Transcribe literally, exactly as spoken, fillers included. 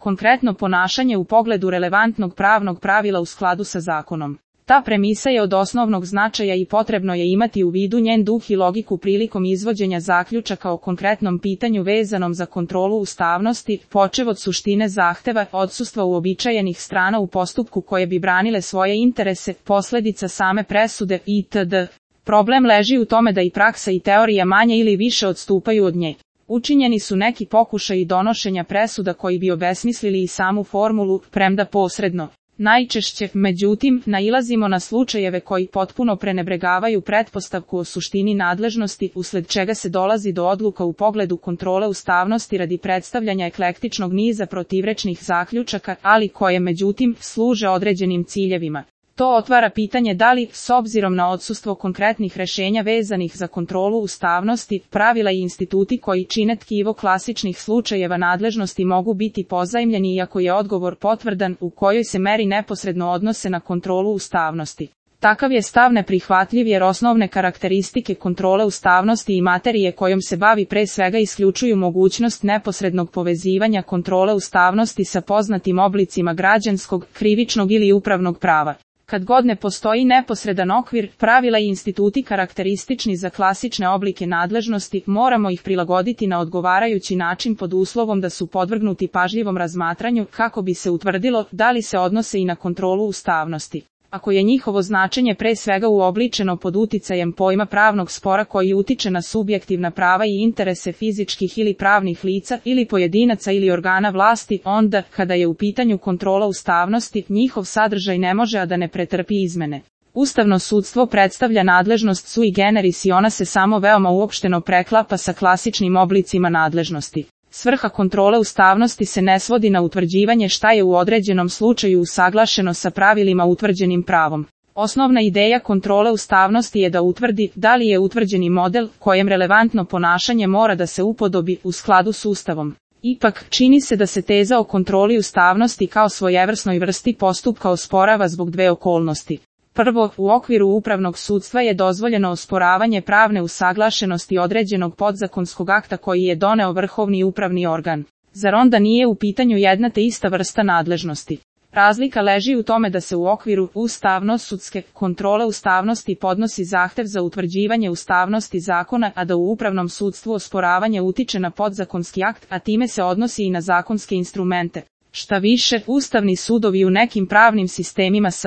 konkretno ponašanje u pogledu relevantnog pravnog pravila u skladu sa zakonom. Ta premisa je od osnovnog značaja i potrebno je imati u vidu njen duh i logiku prilikom izvođenja zaključaka o konkretnom pitanju vezanom za kontrolu ustavnosti, počev od suštine zahteva, odsustva uobičajenih strana u postupku koje bi branile svoje interese, posledica same presude itd. Problem leži u tome da i praksa i teorija manje ili više odstupaju od nje. Učinjeni su neki pokušaji donošenja presuda koji bi obesmislili i samu formulu, premda posredno. Najčešće, međutim, nailazimo na slučajeve koji potpuno prenebregavaju pretpostavku o suštini nadležnosti, usled čega se dolazi do odluka u pogledu kontrole ustavnosti radi predstavljanja eklektičnog niza protivrečnih zaključaka, ali koje međutim služe određenim ciljevima. To otvara pitanje da li, s obzirom na odsustvo konkretnih rešenja vezanih za kontrolu ustavnosti, pravila i instituti koji čine tkivo klasičnih slučajeva nadležnosti mogu biti pozajmljeni iako je odgovor potvrdan u kojoj se meri neposredno odnose na kontrolu ustavnosti. Takav je stav neprihvatljiv jer osnovne karakteristike kontrole ustavnosti i materije kojom se bavi pre svega isključuju mogućnost neposrednog povezivanja kontrole ustavnosti sa poznatim oblicima građanskog, krivičnog ili upravnog prava. Kad god ne postoji neposredan okvir, pravila i instituti karakteristični za klasične oblike nadležnosti, moramo ih prilagoditi na odgovarajući način pod uslovom da su podvrgnuti pažljivom razmatranju kako bi se utvrdilo da li se odnose i na kontrolu ustavnosti. Ako je njihovo značenje pre svega uobličeno pod uticajem pojma pravnog spora koji utiče na subjektivna prava i interese fizičkih ili pravnih lica ili pojedinaca ili organa vlasti, onda, kada je u pitanju kontrola ustavnosti, njihov sadržaj ne može a da ne pretrpi izmene. Ustavno sudstvo predstavlja nadležnost sui generis i ona se samo veoma uopšteno preklapa sa klasičnim oblicima nadležnosti. Svrha kontrole ustavnosti se ne svodi na utvrđivanje šta je u određenom slučaju usaglašeno sa pravilima utvrđenim pravom. Osnovna ideja kontrole ustavnosti je da utvrdi da li je utvrđeni model kojem relevantno ponašanje mora da se upodobi u skladu s Ustavom. Ipak, čini se da se teza o kontroli ustavnosti kao svojevrsnoj vrsti postupka osporava zbog dve okolnosti. Prvo, u okviru upravnog sudstva je dozvoljeno osporavanje pravne usaglašenosti određenog podzakonskog akta koji je doneo vrhovni upravni organ. Zar onda nije u pitanju jedna te ista vrsta nadležnosti? Razlika leži u tome da se u okviru ustavno-sudske kontrole ustavnosti podnosi zahtev za utvrđivanje ustavnosti zakona, a da u upravnom sudstvu osporavanje utiče na podzakonski akt, a time se odnosi i na zakonske instrumente. Šta više, ustavni sudovi u nekim pravnim sistemima s